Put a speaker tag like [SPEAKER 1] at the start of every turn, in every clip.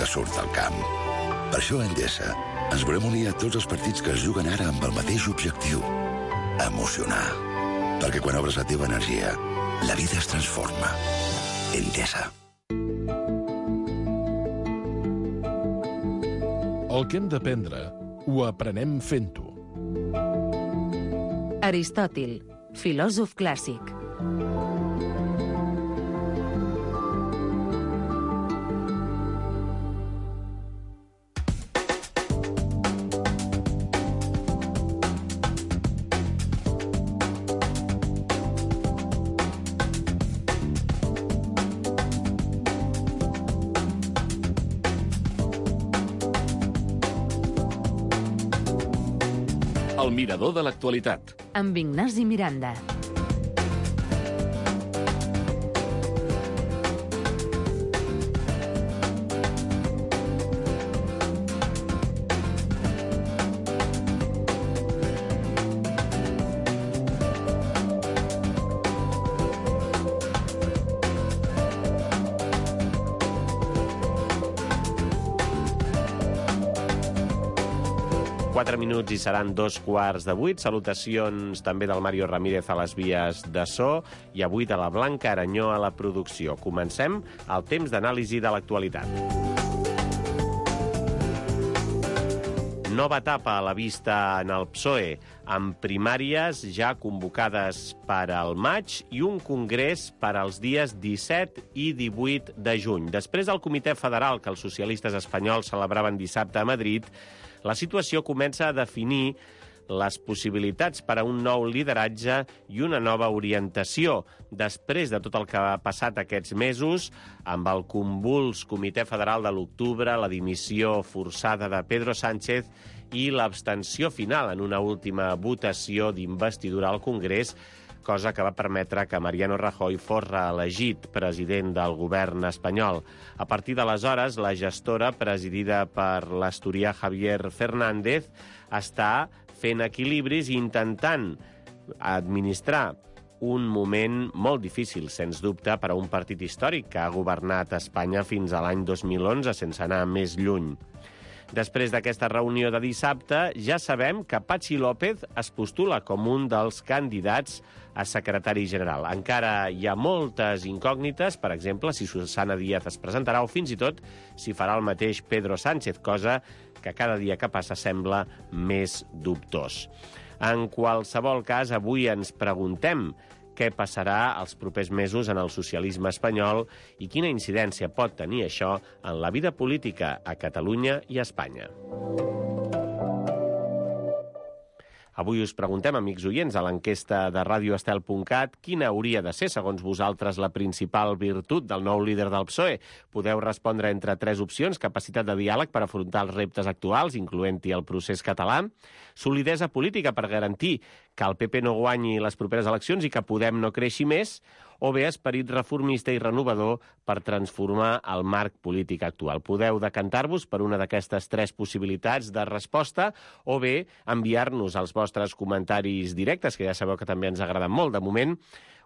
[SPEAKER 1] que surt del camp. Per això a Endesa ens volem unir a tots els partits que es juguen ara amb el mateix objectiu: emocionar. Perquè quan obres la teva energia, la vida es transforma. Endesa.
[SPEAKER 2] El que hem d'aprendre ho aprenem fent-ho.
[SPEAKER 3] Aristòtil, filòsof clàssic.
[SPEAKER 2] El mirador de l'actualitat.
[SPEAKER 3] Amb Ignasi Miranda.
[SPEAKER 4] Minuts i seran 2:15. Salutacions també del Mario Ramírez a les vies de so i avui de la Blanca Aranyó a la producció. Comencem el temps d'anàlisi de l'actualitat. Nova etapa a la vista en el PSOE, amb primàries ja convocades per al maig i un congrés per als dies 17 i 18 de juny. Després del Comitè Federal que els socialistes espanyols celebraven dissabte a Madrid, la situació comença a definir les possibilitats per a un nou lideratge i una nova orientació. Després de tot el que ha passat aquests mesos, amb el convuls Comitè Federal de l'octubre, la dimissió forçada de Pedro Sánchez i l'abstenció final en una última votació d'investidura al Congrés, cosa que va permetre que Mariano Rajoy fos reelegit president del govern espanyol. A partir d'aleshores, la gestora, presidida per l'asturià Javier Fernández, està fent equilibris i intentant administrar un moment molt difícil, sens dubte, per a un partit històric que ha governat Espanya fins a l'any 2011, sense anar més lluny. Després d'aquesta reunió de dissabte, ja sabem que Patxi López es postula com un dels candidats a secretari general. Encara hi ha moltes incògnites, per exemple, si Susana Díaz es presentarà o fins i tot si farà el mateix Pedro Sánchez, cosa que cada dia que passa sembla més dubtós. En qualsevol cas, avui ens preguntem què passarà els propers mesos en el socialisme espanyol i quina incidència pot tenir això en la vida política a Catalunya i a Espanya. Avui us preguntem, amics oients, a l'enquesta de radioestel.cat, quina hauria de ser, segons vosaltres, la principal virtut del nou líder del PSOE. Podeu respondre entre 3 opcions: capacitat de diàleg per afrontar els reptes actuals, incloent-hi el procés català; solidesa política per garantir que el PP no guanyi les properes eleccions i que Podem no creixi més; o bé esperit reformista i renovador per transformar el marc polític actual. Podeu decantar-vos per una d'aquestes 3 possibilitats de resposta o bé enviar-nos els vostres comentaris directes, que ja sabeu que també ens agraden molt. De moment,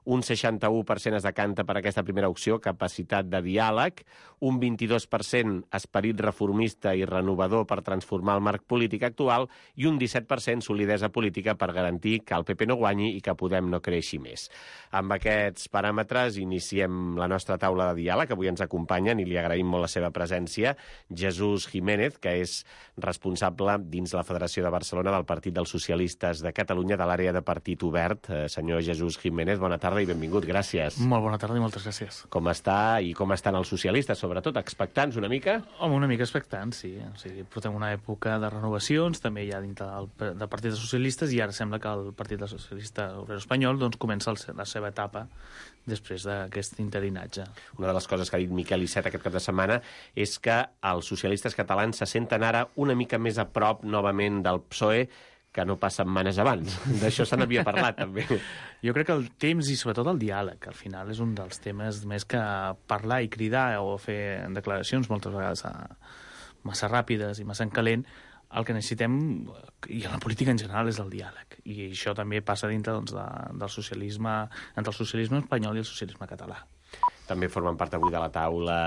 [SPEAKER 4] un 61% es decanta per aquesta primera opció, capacitat de diàleg, un 22% esperit reformista i renovador per transformar el marc polític actual i un 17% solidesa política per garantir que el PP no guanyi i que Podem no creixi més. Amb aquests paràmetres iniciem la nostra taula de diàleg. Avui ens acompanyen, i li agraïm molt la seva presència, Jesús Jiménez, que és responsable dins la Federació de Barcelona del Partit dels Socialistes de Catalunya, de l'àrea de Partit Obert. Senyor Jesús Jiménez, bona tarda i benvingut, gràcies.
[SPEAKER 5] Molt bona tarda i moltes gràcies.
[SPEAKER 4] Com està i com estan els socialistes, sobretot? Expectants una mica?
[SPEAKER 5] Home, una mica expectants, sí. O sigui, portem una època de renovacions, també hi ha dintre del Partit dels Socialistes, i ara sembla que el Partit dels Socialistes Obrer Espanyol doncs, comença la seva etapa després d'aquest interinatge.
[SPEAKER 4] Una de les coses que ha dit Miquel Iceta aquest cap de setmana és que els socialistes catalans se senten ara una mica més a prop novament del PSOE que no pas setmanes abans. D'això se n'havia parlat, també.
[SPEAKER 5] Jo crec que el temps i sobretot el diàleg, al final, és un dels temes més que parlar i cridar o fer declaracions moltes vegades massa ràpides i massa en calent. El que necessitem, i en la política en general, és el diàleg. I això també passa dintre doncs, del socialisme, entre el socialisme espanyol i el socialisme català.
[SPEAKER 4] També formen part avui de la taula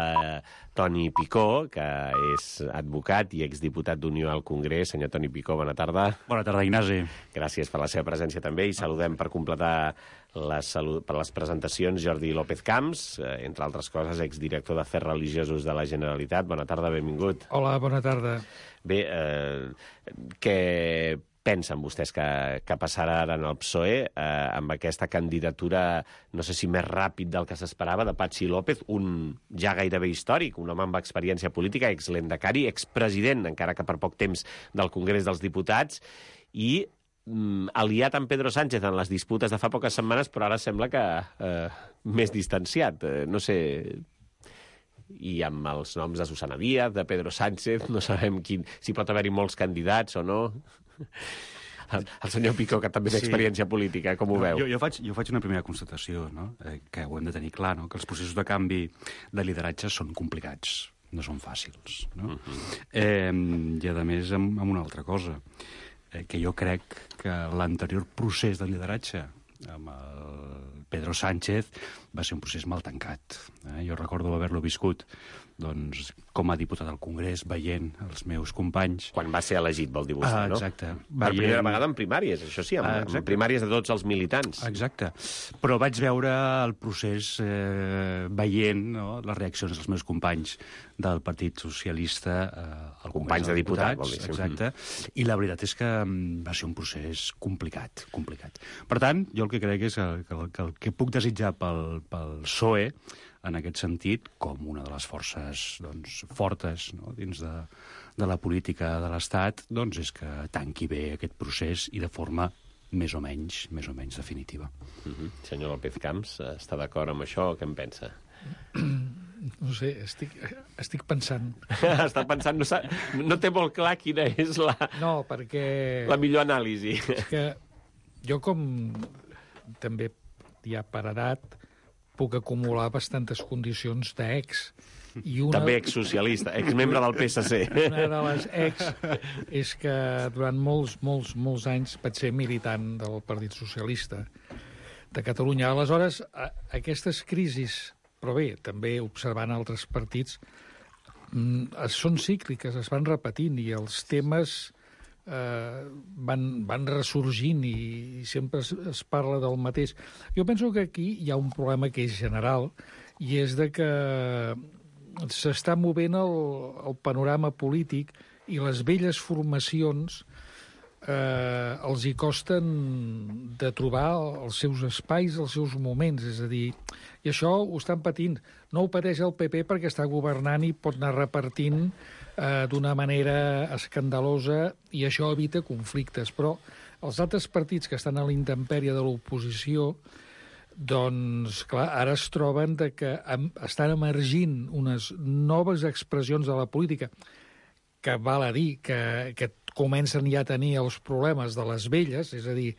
[SPEAKER 4] Toni Picó, que és advocat i exdiputat d'Unió al Congrés. Senyor Toni Picó, bona tarda.
[SPEAKER 6] Bona tarda, Ignasi.
[SPEAKER 4] Gràcies per la seva presència també i saludem per completar per les presentacions Jordi López Camps, entre altres coses, exdirector d'Afers Religiosos de la Generalitat. Bona tarda, benvingut.
[SPEAKER 7] Hola, bona tarda.
[SPEAKER 4] Bé, què pensen vostès que passarà ara en el PSOE amb aquesta candidatura, no sé si més ràpid del que s'esperava, de Patxi López, un ja gairebé històric, un home amb experiència política, exlendacari, expresident, encara que per poc temps, del Congrés dels Diputats, i aliat amb Pedro Sánchez en les disputes de fa poques setmanes, però ara sembla que més distanciat. No sé, i amb els noms de Susana Díaz, de Pedro Sánchez, no sabem si pot haver-hi molts candidats o no. El senyor Picó, que també té experiència política, com ho veu?
[SPEAKER 6] Jo faig una primera constatació, no? Que ho hem de tenir clar, no? Que els processos de canvi de lideratge són complicats, no són fàcils. No? I, a més, amb una altra cosa, que jo crec que l'anterior procés de lideratge amb el Pedro Sánchez va ser un procés mal tancat. Jo recordo haver-lo viscut doncs, com a diputat al Congrés, veient els meus companys...
[SPEAKER 4] Quan va ser elegit, vol dir vostè, no?
[SPEAKER 6] Exacte.
[SPEAKER 4] Per primera vegada en primàries, això sí, en primàries de tots els militants.
[SPEAKER 6] Exacte. Però vaig veure el procés veient, no, les reaccions dels meus companys del Partit Socialista al Congrés
[SPEAKER 4] companys de diputats, vol dir.
[SPEAKER 6] Exacte. I la veritat és que va ser un procés complicat. Per tant, jo el que crec és que el que puc desitjar pel PSOE, en aquest sentit, com una de les forces doncs, fortes, no, dins de la política de l'Estat, doncs és que tanqui bé aquest procés i de forma més o menys definitiva.
[SPEAKER 4] Senyor López Camps, està d'acord amb això o què en pensa?
[SPEAKER 7] No sé, estic pensant.
[SPEAKER 4] Està pensant, no té molt clar quina és
[SPEAKER 7] No, perquè...
[SPEAKER 4] la millor anàlisi.
[SPEAKER 7] És que jo com també ja per edat puc acumular bastantes condicions d'ex.
[SPEAKER 4] També exsocialista, exmembre del PSC.
[SPEAKER 7] Una de les ex és que durant molts anys vaig ser militant del Partit Socialista de Catalunya. Aleshores, aquestes crisis, però bé, també observant altres partits, són cícliques, es van repetint i els temes van ressorgint i sempre es parla del mateix. Jo penso que aquí hi ha un problema que és general i és de que s'està movent el panorama polític i les velles formacions els hi costen de trobar els seus espais, els seus moments, és a dir, i això ho estan patint. No ho pateix el PP perquè està governant i pot anar repartint d'una manera escandalosa i això evita conflictes, però els altres partits que estan a la intempèrie de l'oposició, doncs, clar, ara es troben que estan emergint unes noves expressions de la política que val a dir que comencen ja a tenir els problemes de les velles, és a dir,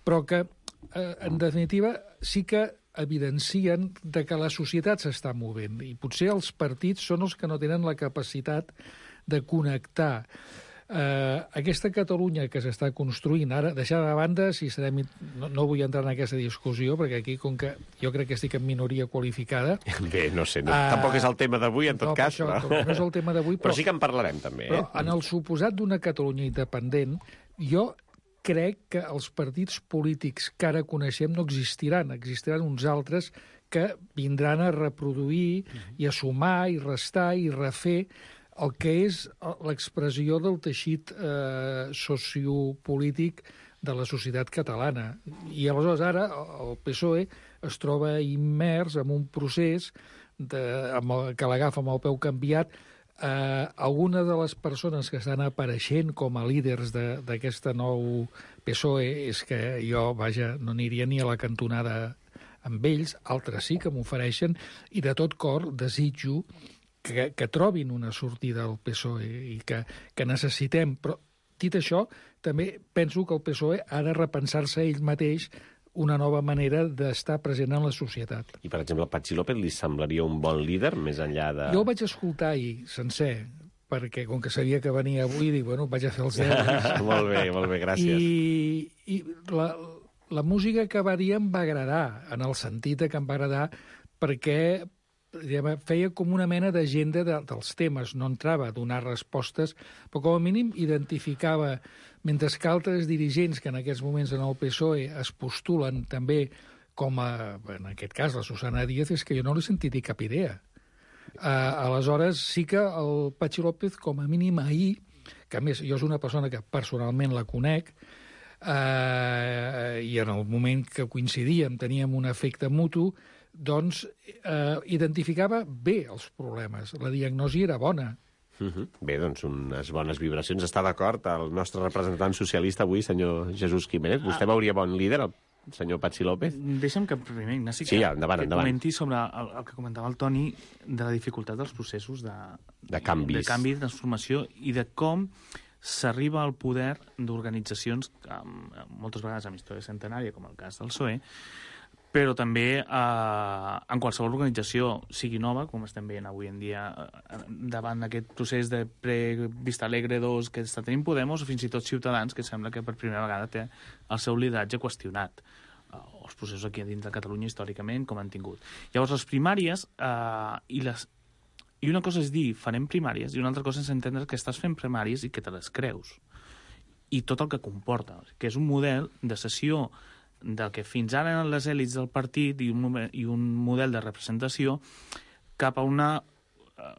[SPEAKER 7] però que, en definitiva, sí que evidencien de que la societat s'està movent i potser els partits són els que no tenen la capacitat de connectar aquesta Catalunya que s'està construint ara, deixar de banda si serem... No vull entrar en aquesta discussió perquè aquí, com que jo crec que estic en minoria qualificada...
[SPEAKER 4] Bé, no sé, tampoc és el tema d'avui, en tot cas.
[SPEAKER 7] Això, però... No és el tema d'avui,
[SPEAKER 4] però sí que en parlarem, també.
[SPEAKER 7] Però en el suposat d'una Catalunya independent, jo crec que els partits polítics que ara coneixem no existiran. Existiran uns altres que vindran a reproduir i a sumar i restar i refer el que és l'expressió del teixit sociopolític de la societat catalana. I aleshores ara el PSOE es troba immers en un procés que l'agafa amb el peu canviat. Algunes de les persones que estan apareixent com a líders d'aquesta nou PSOE és que jo, vaja, no aniria ni a la cantonada amb ells, altres sí que m'ofereixen, i de tot cor desitjo que trobin una sortida al PSOE i que necessitem. Però, dit això, també penso que el PSOE ha de repensar-se ell mateix una nova manera d'estar present en la societat.
[SPEAKER 4] I, per exemple, a Patxi López li semblaria un bon líder, més enllà de...
[SPEAKER 7] Jo el vaig escoltar ahir, sencer, perquè com que sabia que venia avui, dic, bueno, vaig a fer els deures.
[SPEAKER 4] Molt bé, gràcies.
[SPEAKER 7] I la música que va dir em va agradar, en el sentit que em va agradar perquè feia com una mena d'agenda dels temes, no entrava a donar respostes, però com a mínim identificava, mentre que altres dirigents que en aquests moments en el PSOE es postulen també com en aquest cas, la Susana Díaz, és que jo no l'he sentit dir cap idea. Aleshores, sí que el Patxi López, com a mínim ahir, que a més jo és una persona que personalment la conec, i en el moment que coincidíem teníem un efecte mutu, doncs identificava bé els problemes. La diagnosi era bona.
[SPEAKER 4] Bé, doncs unes bones vibracions. Està d'acord el nostre representant socialista avui, senyor Jesús Jiménez? Vostè veuria bon líder, el senyor Patxi López?
[SPEAKER 5] Deixa'm que primer, Ignasi,
[SPEAKER 4] sí, endavant.
[SPEAKER 5] Comenti sobre el que comentava el Toni de la dificultat dels processos de canvi, de transformació, i de com s'arriba al poder d'organitzacions, moltes vegades amb història centenària, com el cas del PSOE, però també en qualsevol organització, sigui nova, com estem veient avui en dia, davant d'aquest procés de Vista Alegre 2 que està tenint Podemos, o fins i tot Ciutadans, que sembla que per primera vegada té el seu lideratge qüestionat, o els processos aquí dins de Catalunya històricament, com han tingut. Llavors, les primàries, i una cosa és dir, farem primàries, i una altra cosa és entendre que estàs fent primàries i que te les creus, i tot el que comporta, que és un model de sessió del que fins ara eren les èlits del partit i un model de representació cap a una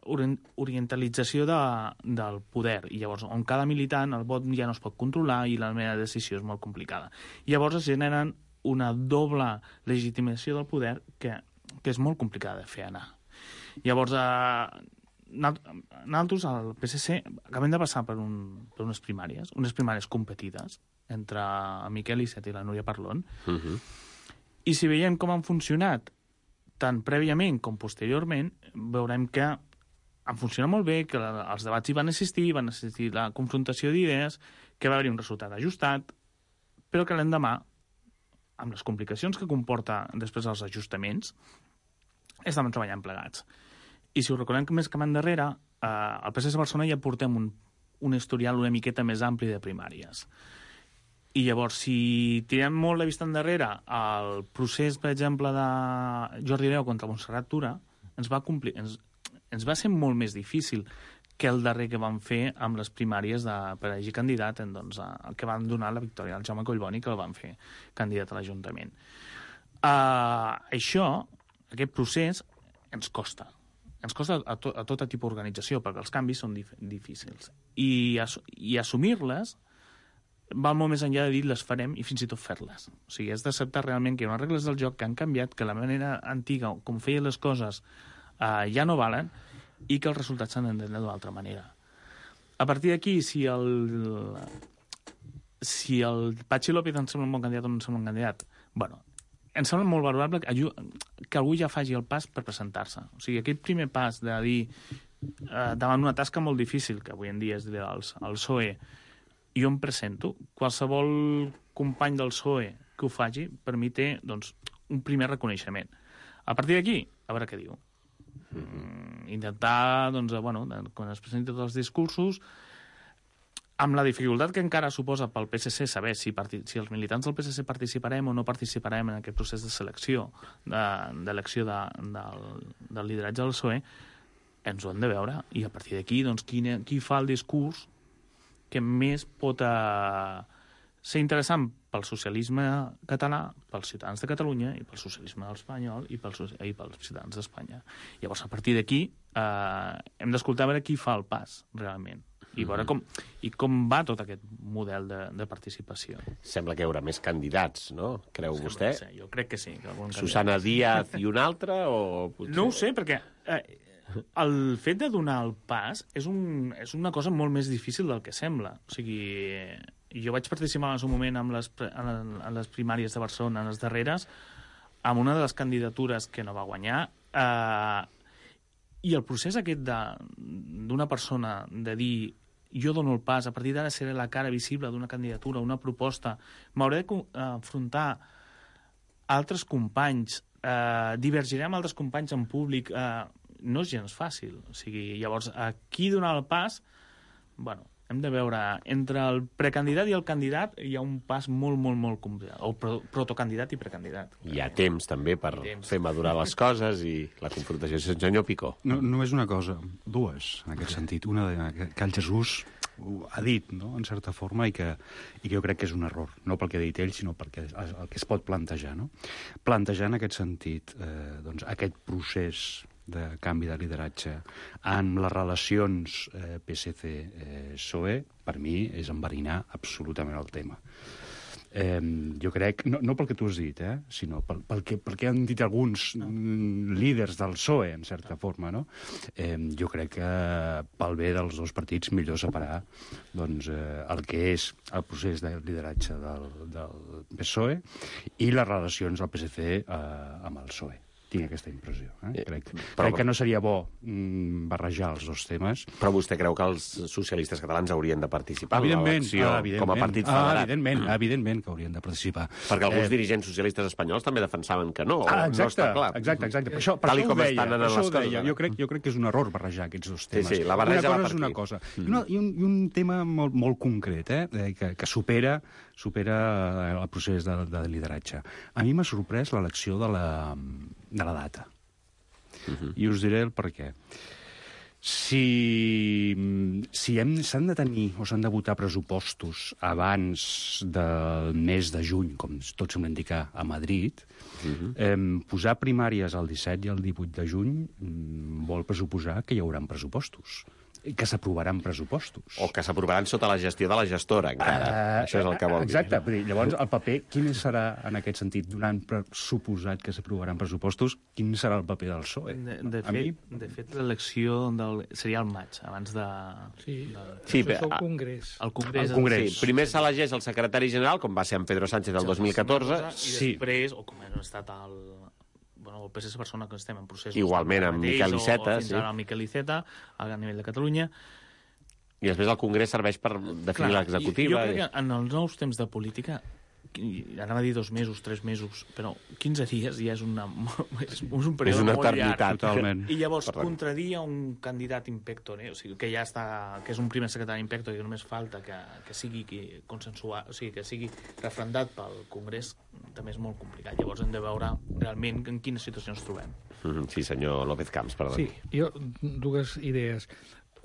[SPEAKER 5] orientalització del poder. I llavors, on cada militant, el vot ja no es pot controlar i la meva decisió és molt complicada. I llavors es generen una doble legitimació del poder que és molt complicada de fer anar. Llavors, nosaltres, al PSC, acabem de passar per unes primàries competides, entre el Miquel Iceta i la Núria Parlon, i si veiem com han funcionat tant prèviament com posteriorment, veurem que han funcionat molt bé, que els debats hi van assistir la confrontació d'idees, que va haver-hi un resultat ajustat, però que l'endemà, amb les complicacions que comporta després els ajustaments, estàvem treballant plegats. I si ho recordem més que endarrere, al PSC de Barcelona ja portem un historial una miqueta més ampli de primàries. I llavors, si tirem molt la vista endarrere, el procés, per exemple, de Jordi Hereu contra Montserrat Tura ens va ser molt més difícil que el darrer que van fer amb les primàries per elegir candidat, el que van donar la victòria al Jaume Collboni, que el van fer candidat a l'Ajuntament. Aquest procés ens costa. Ens costa a tot tipus d'organització, perquè els canvis són difícils. I assumir-les va molt més enllà de dir les farem i fins i tot fer-les. O sigui, has d'acceptar realment que hi ha unes regles del joc que han canviat, que la manera antiga, com feien les coses, ja no valen, i que els resultats s'han d'entendre d'una altra manera. A partir d'aquí, si el Patxi López ens sembla un bon candidat o no ens sembla un candidat, bueno, ens sembla molt valorable que algú ja faci el pas per presentar-se. O sigui, aquest primer pas de dir, davant una tasca molt difícil, que avui en dia és el PSOE, jo em presento, qualsevol company del PSOE que ho faci, per mi té un primer reconeixement. A partir d'aquí, a veure què diu. Intentar, quan es presenti tots els discursos, amb la dificultat que encara suposa pel PSC saber si els militants del PSC participarem o no participarem en aquest procés de selecció, d'elecció del lideratge del PSOE, ens ho hem de veure. I a partir d'aquí, qui fa el discurs que més pot ser interessant pel socialisme català, pels ciutadans de Catalunya i pel socialisme espanyol i pels ciutadans d'Espanya. Llavors, a partir d'aquí, hem d'escoltar a veure qui fa el pas, realment, i veure com va tot aquest model de participació.
[SPEAKER 4] Sembla que hi haurà més candidats, no? Creu vostè?
[SPEAKER 5] Jo crec que sí.
[SPEAKER 4] Susana Díaz i un altre?
[SPEAKER 5] No ho sé, perquè el fet de donar el pas és una cosa molt més difícil del que sembla. O sigui, jo vaig participar en el seu moment en les primàries de Barcelona, en les darreres, amb una de les candidatures que no va guanyar, i el procés aquest d'una persona de dir jo dono el pas, a partir d'ara seré la cara visible d'una candidatura, una proposta, m'hauré d'enfrontar altres companys, divergiré amb altres companys en públic, no és gens fàcil. O sigui, llavors, aquí donar el pas, bueno, hem de veure, entre el precandidat i el candidat hi ha un pas molt, molt, molt complicat. O protocandidat i precandidat.
[SPEAKER 4] Hi ha temps, també, per fer madurar les coses i la confrontació. Senyor Picó.
[SPEAKER 6] No és una cosa, dues, en aquest sentit. Una que el Jesús ha dit, no?, en certa forma, i que jo crec que és un error. No pel que ha dit ell, sinó pel que es pot plantejar, no? Plantejar en aquest sentit doncs, aquest procés de canvi de lideratge en les relacions PSC-PSOE, per mi és enverinar absolutament el tema. Jo crec, no pel que tu has dit, sinó pel que han dit alguns líders del PSOE, en certa forma, no? Jo crec que pel bé dels dos partits millor separar doncs, el que és el procés de lideratge del PSOE i les relacions del PSC amb el PSOE. Tinc aquesta impressió. Crec que no seria bo barrejar els dos temes.
[SPEAKER 4] Però vostè creu que els socialistes catalans haurien de participar en l'elecció com a partit federat?
[SPEAKER 6] Evidentment que haurien de participar.
[SPEAKER 4] Perquè alguns dirigents socialistes espanyols també defensaven que no. No està clar.
[SPEAKER 6] Exacte. Per això ho deia. Jo crec que és un error barrejar aquests dos temes.
[SPEAKER 4] Sí, la barreja va per aquí.
[SPEAKER 6] Una cosa és una cosa. I un tema molt concret, que supera el procés de lideratge. A mi m'ha sorprès l'elecció de la data. I us diré el per què. Si s'han de tenir o s'han de votar pressupostos abans del mes de juny, com tot sembla indicar a Madrid, posar primàries el 17 i el 18 de juny vol pressuposar que hi haurà pressupostos. Que s'aprovaran pressupostos.
[SPEAKER 4] O que s'aprovaran sota la gestió de la gestora, encara. Això és el que vol dir.
[SPEAKER 6] Exacte. Llavors, el paper, quin serà, en aquest sentit, donant per suposat que s'aprovaran pressupostos, quin serà el paper del PSOE?
[SPEAKER 5] De fet, l'elecció seria al maig, abans de...
[SPEAKER 7] Sí, però el Congrés.
[SPEAKER 5] El Congrés.
[SPEAKER 4] Sí, primer s'elegeix el secretari general, com va ser en Pedro Sánchez el 2014.
[SPEAKER 5] I després, o com ha estat el PSC Barcelona, que estem en processos...
[SPEAKER 4] Igualment, amb Miquel Iceta.
[SPEAKER 5] Fins ara amb Miquel Iceta, a nivell de Catalunya.
[SPEAKER 4] I després el Congrés serveix per definir l'executiva.
[SPEAKER 5] Jo crec que en els nous temps de política, anava a dir 2 mesos, 3 mesos, però 15 dies ja és un període molt llarg.
[SPEAKER 6] Totalment.
[SPEAKER 5] I llavors contradir a un candidat impector, o sigui, que ja està, que és un primer secretari impector i que només falta que sigui consensuat, o sigui, que sigui refrendat pel Congrés, també és molt complicat. Llavors hem de veure realment en quina situació ens trobem.
[SPEAKER 4] Sí, senyor López Camps, perdoni.
[SPEAKER 7] Sí, jo, dues idees.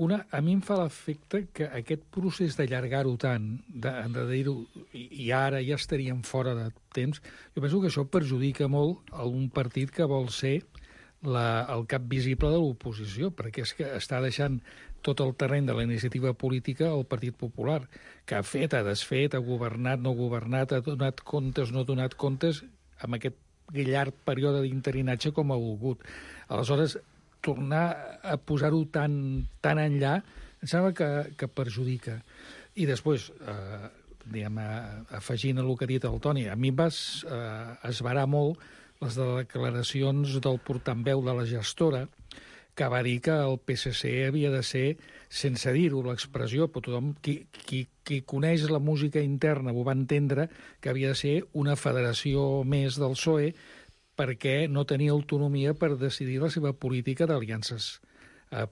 [SPEAKER 7] Una, a mi em fa l'efecte que aquest procés d'allargar-ho tant, de dir-ho, i ara ja estaríem fora de temps, jo penso que això perjudica molt a un partit que vol ser el cap visible de l'oposició, perquè és que està deixant tot el terreny de la iniciativa política al Partit Popular, que ha fet, ha desfet, ha governat, no ha governat, ha donat comptes, no ha donat comptes, amb aquest llarg període d'interinatge com ha volgut. Aleshores, tornar a posar-ho tan enllà, em sembla que perjudica. I després, afegint el que ha dit el Toni, a mi em va esverar molt les declaracions del portaveu de la gestora, que va dir que el PSC havia de ser, sense dir-ho l'expressió, però tothom, qui coneix la música interna ho va entendre, que havia de ser una federació més del PSOE, perquè no tenia autonomia per decidir la seva política d'aliances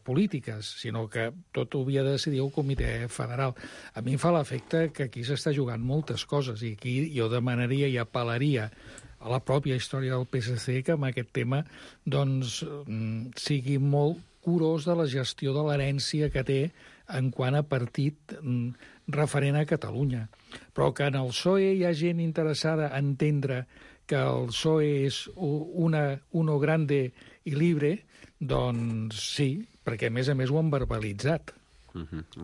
[SPEAKER 7] polítiques, sinó que tot ho havia de decidir el Comitè Federal. A mi em fa l'efecte que aquí s'està jugant moltes coses, i aquí jo demanaria i apel·laria a la pròpia història del PSC que amb aquest tema doncs, sigui molt curós de la gestió de l'herència que té en quant a partit referent a Catalunya. Però que en el PSOE hi ha gent interessada a entendre que el PSOE és uno grande i libre, doncs sí, perquè a més ho han verbalitzat.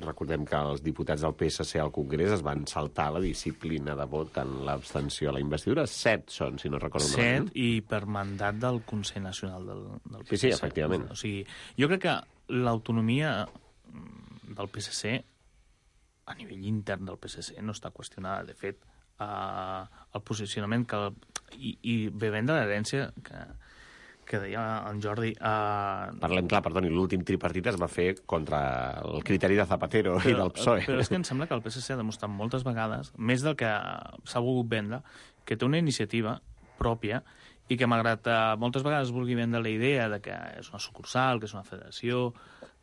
[SPEAKER 4] Recordem que els diputats del PSC al Congrés es van saltar la disciplina de vot en l'abstenció a la investidura. 7 són, si no recordo malament.
[SPEAKER 5] 7 i per mandat del Consell Nacional del PSC.
[SPEAKER 4] Sí, efectivament.
[SPEAKER 5] O sigui, jo crec que l'autonomia del PSC, a nivell intern del PSC, no està qüestionada. De fet, el posicionament i bevent de l'herència que deia en Jordi...
[SPEAKER 4] Parlem clar, perdoni, l'últim tripartit es va fer contra el criteri de Zapatero i del PSOE.
[SPEAKER 5] Però és que em sembla que el PSC ha demostrat moltes vegades, més del que s'ha volgut vendre, que té una iniciativa pròpia i que, malgrat moltes vegades vulgui vendre la idea de que és una sucursal, que és una federació,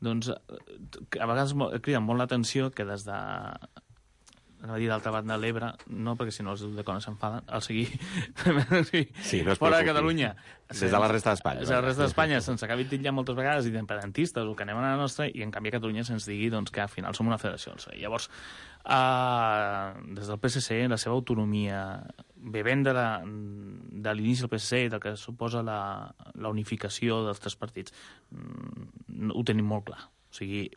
[SPEAKER 5] doncs a vegades crida molt l'atenció que des de d'altra banda de l'Ebre, no perquè si no els de Cona s'enfaden, al seguir
[SPEAKER 4] Sí, no es
[SPEAKER 5] fora de
[SPEAKER 4] preocupi.
[SPEAKER 5] Catalunya,
[SPEAKER 4] Des de la resta d'Espanya.
[SPEAKER 5] des de la resta d'Espanya se'ns acabi titllant moltes vegades independentistes o que anem a la nostra, i en canvi a Catalunya se'ns digui doncs, que al final som una federació. Llavors, des del PSC, la seva autonomia, bevent de l'inici del PSC, del que suposa la unificació dels tres partits, ho tenim molt clar.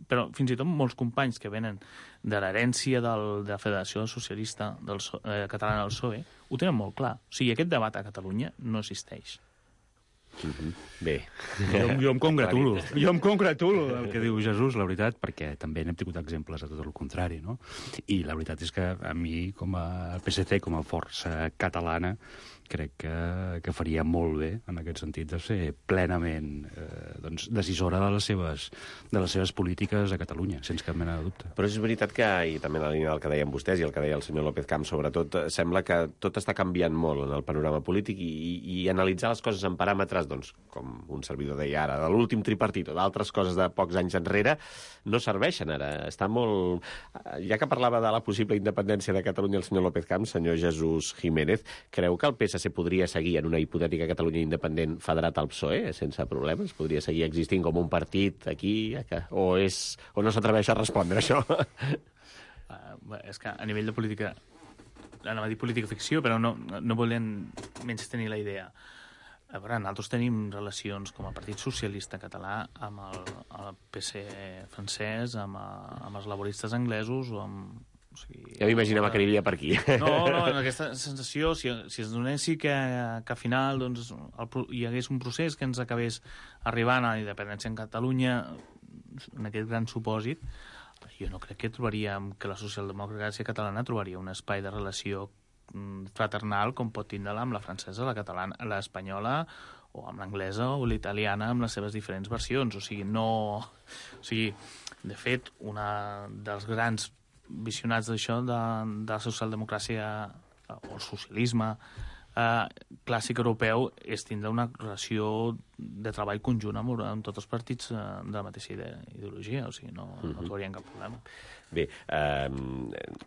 [SPEAKER 5] Però fins i tot molts companys que venen de l'herència de la Federació Socialista Catalana del PSOE ho tenen molt clar. Aquest debat a Catalunya no existeix.
[SPEAKER 4] Bé.
[SPEAKER 6] Jo em congratulo del que diu Jesús, la veritat, perquè també n'hem tingut exemples de tot el contrari, no? I la veritat és que a mi, com a PSC, com a força catalana, crec que faria molt bé, en aquest sentit, de ser plenament decisora de les seves polítiques a Catalunya, sense cap mena de dubte.
[SPEAKER 4] Però és veritat que, i també en la línia del que deien vostès i el que deia el senyor López Camps, sobretot, sembla que tot està canviant molt en el panorama polític i analitzar les coses en paràmetres, doncs, com un servidor deia ara, de l'últim tripartit o d'altres coses de pocs anys enrere, no serveixen ara. Està molt... Ja que parlava de la possible independència de Catalunya el senyor López Camps, senyor Jesús Jiménez, creu que el PSC podria seguir en una hipotètica Catalunya independent federat al PSOE sense problemes? Podria seguir existint com un partit aquí? O no s'atreveix a respondre això?
[SPEAKER 5] És que a nivell de política, anava a dir política ficció, però no volem menys tenir la idea. A veure, nosaltres tenim relacions com a Partit Socialista Català amb el PC francès, amb els laboristes anglesos o amb...
[SPEAKER 4] Ja m'imaginava que aniria per aquí.
[SPEAKER 5] No, en aquesta sensació, si es donessi que al final doncs, hi hagués un procés que ens acabés arribant a la independència en Catalunya, en aquest gran supòsit, jo no crec que trobaríem que la socialdemocràcia catalana trobaria un espai de relació fraternal com pot tindre-la amb la francesa, la catalana, l'espanyola o amb l'anglesa o l'italiana amb les seves diferents versions. De fet, una dels grans visionats d'això, de la socialdemocràcia o el socialisme clàssic europeu, és tindre una relació de treball conjunt amb tots els partits de la mateixa ideologia, no trobarien cap problema.
[SPEAKER 4] Bé,
[SPEAKER 5] ara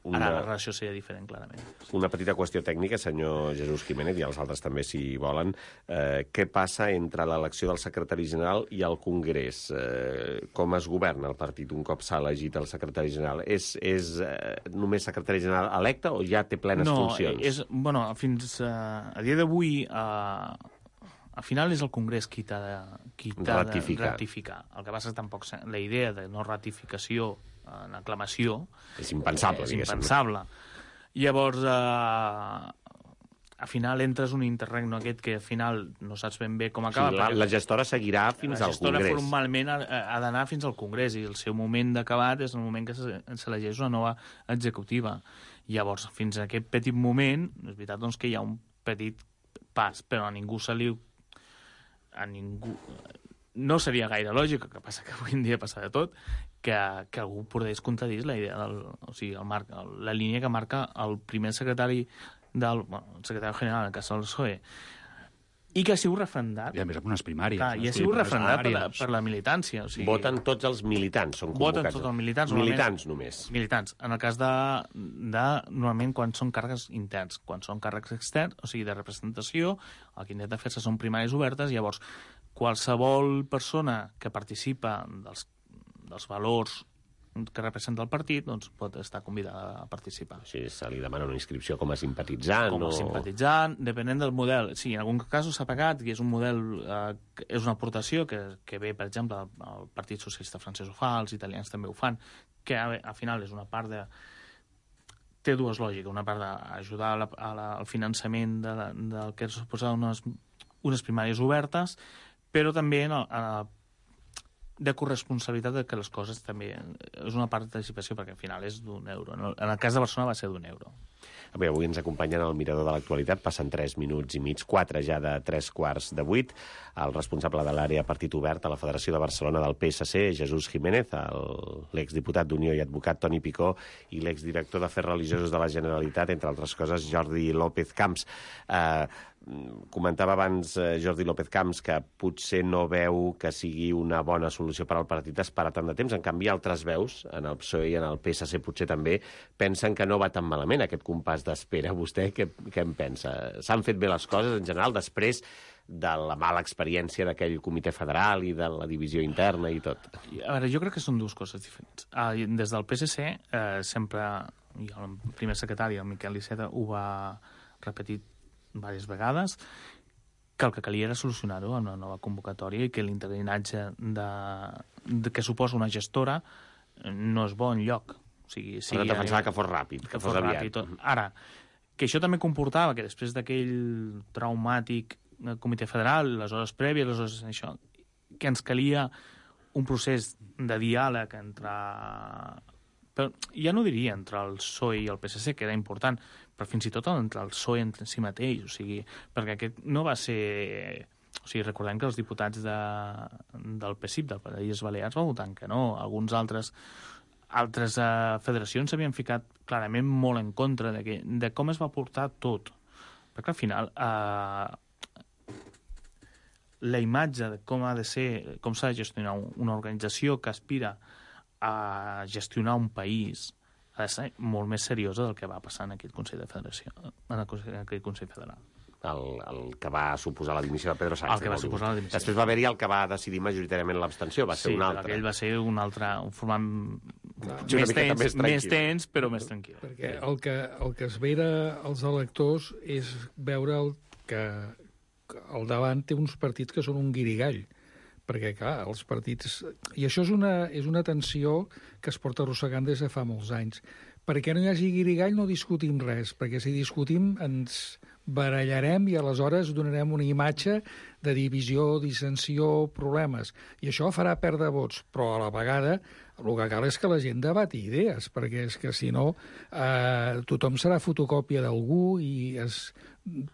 [SPEAKER 5] la relació seria diferent, clarament.
[SPEAKER 4] Una petita qüestió tècnica, senyor Jesús Jiménez, i els altres també, si volen. Què passa entre l'elecció del secretari general i el Congrés? Com es governa el partit un cop s'ha elegit el secretari general? És només secretari general electe o ja té plenes funcions?
[SPEAKER 5] Fins a dia d'avui... Al final és el Congrés qui t'ha de ratificar. El que passa és tampoc la idea de no ratificació en aclamació...
[SPEAKER 4] És impensable,
[SPEAKER 5] diguéssim. És impensable. Llavors, al final entres un interregno aquest que al final no saps ben bé com acaba.
[SPEAKER 4] La gestora seguirà fins al Congrés.
[SPEAKER 5] La gestora formalment ha d'anar fins al Congrés i el seu moment d'acabat és el moment que s'elegeix una nova executiva. Llavors, fins a aquest petit moment, és veritat doncs, que hi ha un petit pas, però a ningú no seria gaire lògic, el que passa que avui en dia passa de tot, que algú podés contradir la idea la línia que marca el primer secretari el secretari general, en el cas del PSOE, i que ha sigut refrendat.
[SPEAKER 6] I a més amb unes primàries.
[SPEAKER 5] I ha sigut refrendat per la militància.
[SPEAKER 4] Voten tots els militants, són convocats.
[SPEAKER 5] Voten tots els militants.
[SPEAKER 4] Militants només.
[SPEAKER 5] Militants. En el cas de normalment quan són càrrecs interns, quan són càrrecs externs, de representació, el que intenta fer-se són primàries obertes, llavors qualsevol persona que participa dels valors que representa el partit, doncs pot estar convidada a participar.
[SPEAKER 4] Sí, se li demana una inscripció com a simpatitzant.
[SPEAKER 5] Com a simpatitzant, depenent del model. Sí, en algun cas s'ha pagat, i és un model, és una aportació que ve, per exemple, el Partit Socialista francès ho fa, els italians també ho fan, que al final és una part de... Té dues lògiques. Una part d'ajudar al finançament del que suposa unes primàries obertes, però també de corresponsabilitat de que les coses també... És una part de participació perquè al final és d'1 euro. En el cas de Barcelona va ser d'1 euro.
[SPEAKER 4] Bé, avui ens acompanyen al Mirador de l'Actualitat. Passen 3 minuts i mig, 4 ja de 3:15. El responsable de l'àrea Partit Obert a la Federació de Barcelona del PSC, Jesús Jiménez, l'exdiputat d'Unió i advocat Toni Picó i l'exdirector d'Afers Religiosos de la Generalitat, entre altres coses, Jordi López Camps. comentava abans Jordi López Camps que potser no veu que sigui una bona solució per al partit esperar tant de temps. En canvi, altres veus, en el PSOE i en el PSC potser també, pensen que no va tan malament aquest compàs d'espera. Vostè què en pensa? S'han fet bé les coses en general després de la mala experiència d'aquell comitè federal i de la divisió interna i tot?
[SPEAKER 5] A veure, jo crec que són dues coses diferents. Des del PSC sempre, i el primer secretari, el Miquel Iceta, ho va repetir diverses vegades, que el que calia era solucionar-ho amb una nova convocatòria i que l'interinatge que suposa una gestora no és bo enlloc. O sigui,
[SPEAKER 4] però defensava que fos ràpid, que fos aviat.
[SPEAKER 5] Ara, que això també comportava que després d'aquell traumàtic comitè federal, les hores prèvies, les hores això, que ens calia un procés de diàleg entre... Però ja no diria entre el PSOE i el PSC, que era important, però fins i tot entre el PSOE en si mateix, o sigui, perquè aquest no va ser... O sigui, recordem que els diputats del PSIP, del País Balears, van votar que no. Alguns altres federacions s'havien ficat clarament molt en contra de com es va portar tot. Perquè al final la imatge de com ha de ser, com s'ha de gestionar una organització que aspira a gestionar un país ha de ser molt més seriosa del que va passar en aquell Consell de Federació, en aquell Consell Federal.
[SPEAKER 4] El que va suposar la dimissió de Pedro Sánchez.
[SPEAKER 5] El que va suposar la dimissió.
[SPEAKER 4] Després va haver-hi el que va decidir majoritàriament l'abstenció, va ser un altre.
[SPEAKER 5] Sí, aquell va ser un altre, formant més tens, però més tranquil.
[SPEAKER 7] Perquè el que es vera als electors és veure que al davant té uns partits que són un guirigall. Perquè, clar, els partits... I això és una tensió que es porta arrossegant des de fa molts anys. Perquè no hi hagi guirigall no discutim res, perquè si discutim ens barallarem i aleshores donarem una imatge de divisió, dissensió, problemes. I això farà perdre vots, però a la vegada el que cal és que la gent debati idees, perquè és que si no tothom serà fotocòpia d'algú i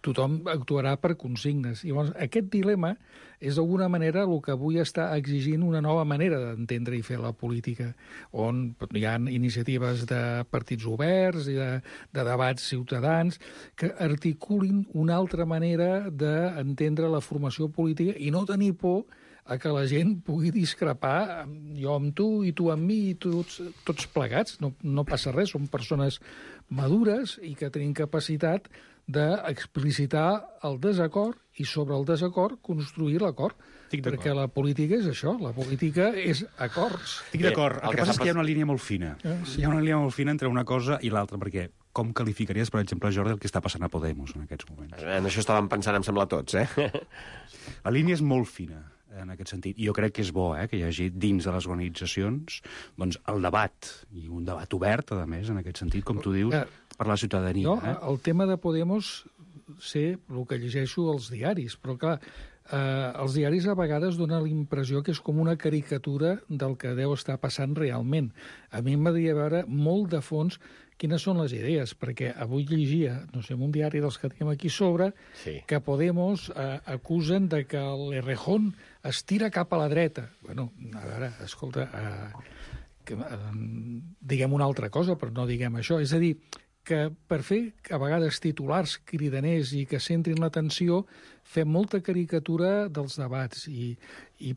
[SPEAKER 7] tothom actuarà per consignes. I llavors aquest dilema és d'alguna manera el que avui està exigint una nova manera d'entendre i fer la política, on hi ha iniciatives de partits oberts i de debats ciutadans que articulin una altra manera d'entendre la formació política i no tenir por a que la gent pugui discrepar, jo amb tu i tu amb mi i tots plegats. No passa res, som persones madures i que tenim capacitat d'explicitar el desacord i sobre el desacord construir l'acord. Perquè la política és això, la política és acords.
[SPEAKER 6] Estic d'acord. El que passa és que hi ha una línia molt fina. Sí. Hi ha una línia molt fina entre una cosa i l'altra, perquè com qualificaries, per exemple, Jordi, el que està passant a Podemos en aquests moments?
[SPEAKER 4] En això estàvem pensant, em sembla, tots,
[SPEAKER 6] La línia és molt fina en aquest sentit. I jo crec que és bo que hi hagi dins de les organitzacions doncs, el debat, i un debat obert, a més, en aquest sentit, com tu dius, per la ciutadania.
[SPEAKER 7] No, el tema de Podemos sé el que llegeixo als diaris, però clar, els diaris a vegades donen la impressió que és com una caricatura del que deu estar passant realment. A mi m'agradaria veure molt de fons quines són les idees, perquè avui llegia, no sé, en un diari dels que tenim aquí sobre, que Podemos acusen de que l'Errejón es tira cap a la dreta. Bueno, a veure, escolta, diguem una altra cosa, però no diguem això. És a dir, que per fer a vegades titulars cridaners i que centrin l'atenció fem molta caricatura dels debats i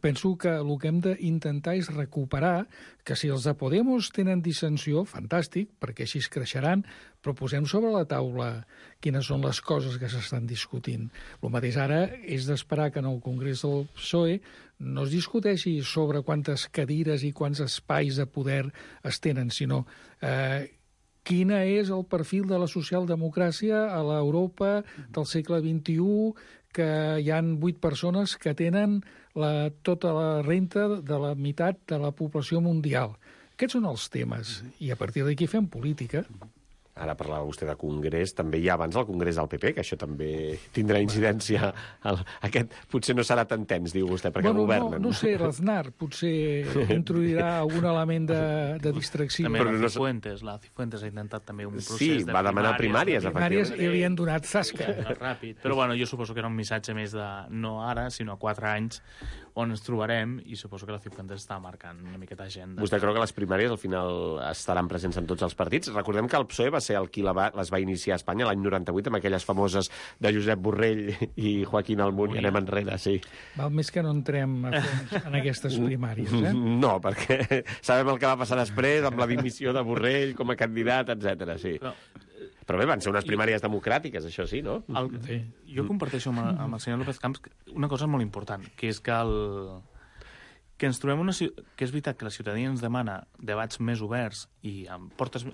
[SPEAKER 7] penso que el que hem d'intentar és recuperar que si els de Podemos tenen dissensió, fantàstic, perquè així es creixeran, però posem sobre la taula quines són les coses que s'estan discutint. El mateix ara és d'esperar que en el Congrés del PSOE no es discuteixi sobre quantes cadires i quants espais de poder es tenen, sinó quina és el perfil de la socialdemocràcia a l'Europa del segle XXI, que hi han 8 persones que tenen tota la renta de la meitat de la població mundial. Aquests són els temes, i a partir d'aquí fem política.
[SPEAKER 4] Ara parlava vostè de Congrés, també hi ha abans el Congrés del PP, que això també tindrà incidència. Aquest potser no serà tan tens, diu vostè, perquè governen.
[SPEAKER 7] No sé, l'Aznar potser introduirà algun element de distracció.
[SPEAKER 5] També la Cifuentes ha intentat també un procés de
[SPEAKER 4] va demanar primàries,
[SPEAKER 7] efectivament. I li han donat zasca.
[SPEAKER 5] Ràpid. Però bueno, jo suposo que era un missatge més de no ara, sinó a 4 anys, on ens trobarem, i suposo que la Cifuentes està marcant una miqueta agenda.
[SPEAKER 4] Vostè creu que les primàries al final estaran presents en tots els partits? Recordem que el PSOE va ser el qui les va iniciar a Espanya l'any 98, amb aquelles famoses de Josep Borrell i Joaquín Almunia. Anem enrere, sí.
[SPEAKER 7] Val més que no entrem en aquestes primàries,
[SPEAKER 4] No, perquè sabem el que va passar després amb la dimissió de Borrell com a candidat, etc. Sí. Però bé, van ser unes primàries democràtiques, això sí, no?
[SPEAKER 5] Jo comparteixo amb el senyor López Camps una cosa molt important, que és que que ens trobem que és veritat que la ciutadania ens demana debats més oberts i amb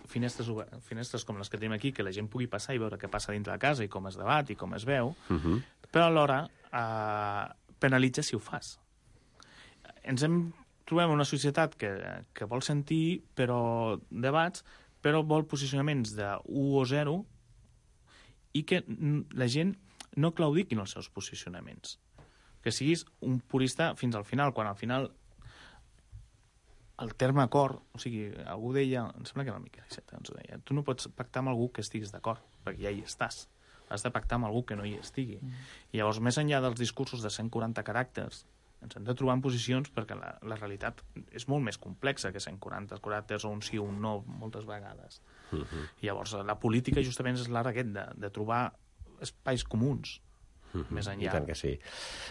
[SPEAKER 5] finestres com les que tenim aquí, que la gent pugui passar i veure què passa dintre de casa i com es debat i com es veu, però alhora penalitza si ho fas. Trobem una societat que vol sentir debats, però vol posicionaments de 1 o 0 i que la gent no claudiquin els seus posicionaments. Que siguis un purista fins al final, quan al final el terme acord, o sigui, algú deia, em sembla que era el Miquel Iceta, ens ho deia, tu no pots pactar amb algú que estiguis d'acord, perquè ja hi estàs. Has de pactar amb algú que no hi estigui. I llavors, més enllà dels discursos de 140 caràcters, ens hem de trobar en posicions perquè la realitat és molt més complexa que 140 caràcters o un sí o un no moltes vegades. I llavors la política justament és l'art aquest de trobar espais comuns més enllà.
[SPEAKER 4] I tant que sí.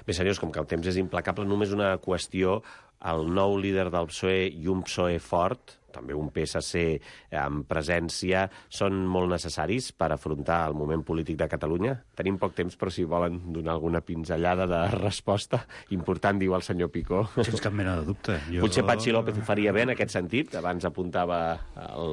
[SPEAKER 4] Bé, senyors, com que el temps és implacable, només una qüestió. El nou líder del PSOE i un PSOE fort, també un PSC amb presència, són molt necessaris per afrontar el moment polític de Catalunya? Tenim poc temps, però si volen donar alguna pinzellada de resposta important, diu el senyor Picó.
[SPEAKER 6] Sense cap mena de dubte.
[SPEAKER 4] Potser Patxi López ho faria bé en aquest sentit. Abans apuntava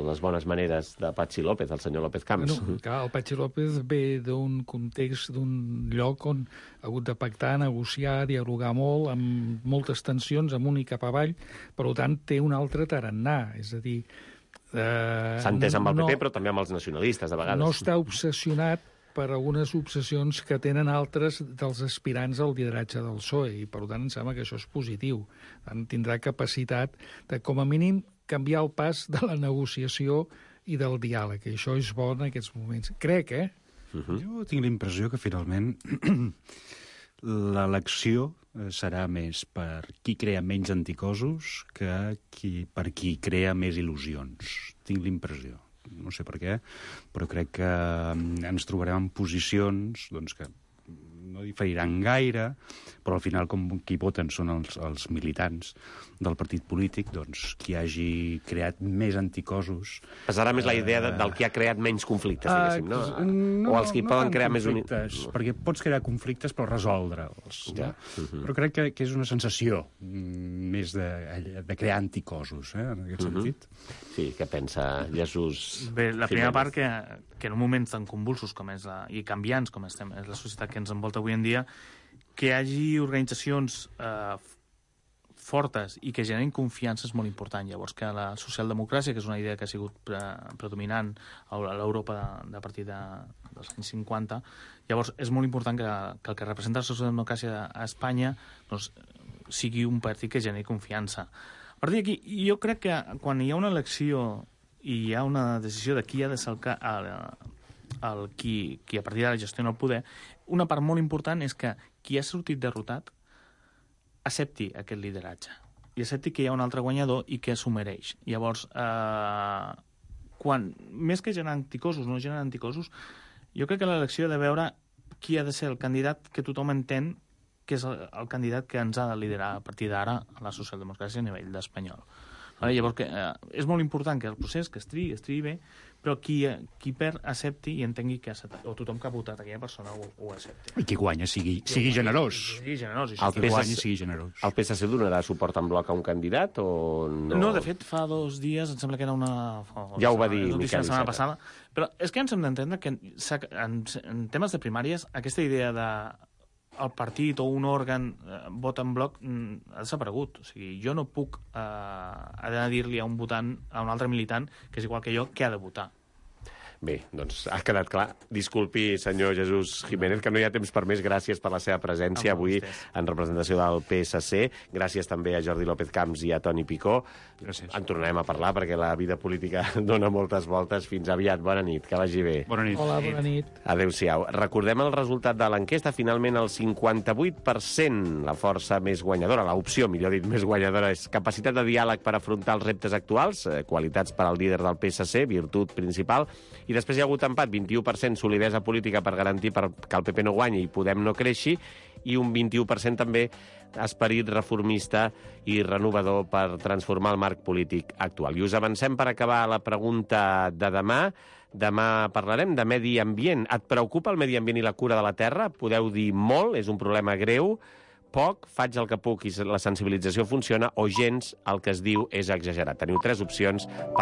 [SPEAKER 4] les bones maneres de Patxi López, el senyor López Camps.
[SPEAKER 7] Clar, el Patxi López ve d'un context, d'un lloc on ha hagut de pactar, negociar, dialogar molt, amb moltes tensions, amunt i cap avall. Per tant, té un altre tarannà. És a dir...
[SPEAKER 4] S'ha entès amb el PP, però també amb els nacionalistes, de vegades.
[SPEAKER 7] No està obsessionat per algunes obsessions que tenen altres dels aspirants al lideratge del PSOE, i per tant em sembla que això és positiu. Tindrà capacitat de, com a mínim, canviar el pas de la negociació i del diàleg, i això és bo en aquests moments. Crec,
[SPEAKER 6] Jo tinc la impressió que finalment l'elecció serà més per qui crea menys anticossos que per qui crea més il·lusions. Tinc l'impressió. No sé per què, però crec que ens trobarem en posicions que no diferiran gaire, però al final com qui voten són els militants del partit polític, doncs qui hagi creat més anticossos...
[SPEAKER 4] Pesarà més la idea del qui ha creat menys conflictes, diguéssim, no? O els qui poden crear més...
[SPEAKER 6] Perquè pots crear conflictes però resoldre'ls. Ja. Però crec que és una sensació més de crear anticossos, en aquest sentit.
[SPEAKER 4] Sí, què pensa Jesús?
[SPEAKER 5] Bé, la primera part que en un moment tan convulsos com és i canviants com és la societat que ens envolta avui en dia, que hi hagi organitzacions fortes i que generin confiança és molt important. Llavors, que la socialdemocràcia, que és una idea que ha sigut predominant a l'Europa a partir dels anys 50, llavors és molt important que el que representa la socialdemocràcia a Espanya doncs, sigui un partit que generi confiança. A partir d'aquí, jo crec que quan hi ha una elecció i hi ha una decisió de qui ha de ser qui a partir d'ara gestiona el poder, una part molt important és que qui ha sortit derrotat accepti aquest lideratge i accepti que hi ha un altre guanyador i que s'ho mereix. Llavors, més que generar anticossos, no generar anticossos, jo crec que l'elecció ha de veure qui ha de ser el candidat que tothom entén que és el candidat que ens ha de liderar a partir d'ara a la socialdemocràcia a nivell d'espanyol. Llavors, és molt important que el procés, que es triï bé, però qui perd accepti i entengui que o tothom que ha votat aquella persona ho accepti.
[SPEAKER 6] I qui guanya sigui generós.
[SPEAKER 5] Sigui generós.
[SPEAKER 4] El PSC donarà suport en bloc a un candidat o no?
[SPEAKER 5] No, de fet, fa 2 dies, em sembla que era
[SPEAKER 4] ja ho va dir Miquel Iceta.
[SPEAKER 5] La setmana passada. Però és que ens hem d'entendre que en temes de primàries aquesta idea de el partit o un òrgan vota en bloc ha desaparegut. O sigui, jo no puc dir-li a un votant, a un altre militant, que és igual que jo, que ha de votar.
[SPEAKER 4] Bé, doncs ha quedat clar. Disculpi, senyor Jesús Jiménez, que no hi ha temps per més. Gràcies per la seva presència avui en representació del PSC. Gràcies també a Jordi López Camps i a Toni Picó.
[SPEAKER 6] Gràcies.
[SPEAKER 4] En tornarem a parlar perquè la vida política dona moltes voltes. Fins aviat. Bona nit. Que vagi bé.
[SPEAKER 6] Bona nit.
[SPEAKER 7] Hola, bona nit.
[SPEAKER 4] Adéu-siau. Recordem el resultat de l'enquesta. Finalment, el 58%, la força més guanyadora, l'opció, millor dit, més guanyadora, és capacitat de diàleg per afrontar els reptes actuals, qualitats per al líder del PSC, virtut principal, I després hi ha hagut empat, 21% solidesa política per garantir que el PP no guanyi i Podem no creixi, i un 21% també esperit reformista i renovador per transformar el marc polític actual. I us avancem per acabar la pregunta de demà. Demà parlarem de medi ambient. Et preocupa el medi ambient i la cura de la terra? Podeu dir molt, és un problema greu, poc, faig el que puc i la sensibilització funciona, o gens, el que es diu és exagerat. Teniu 3 opcions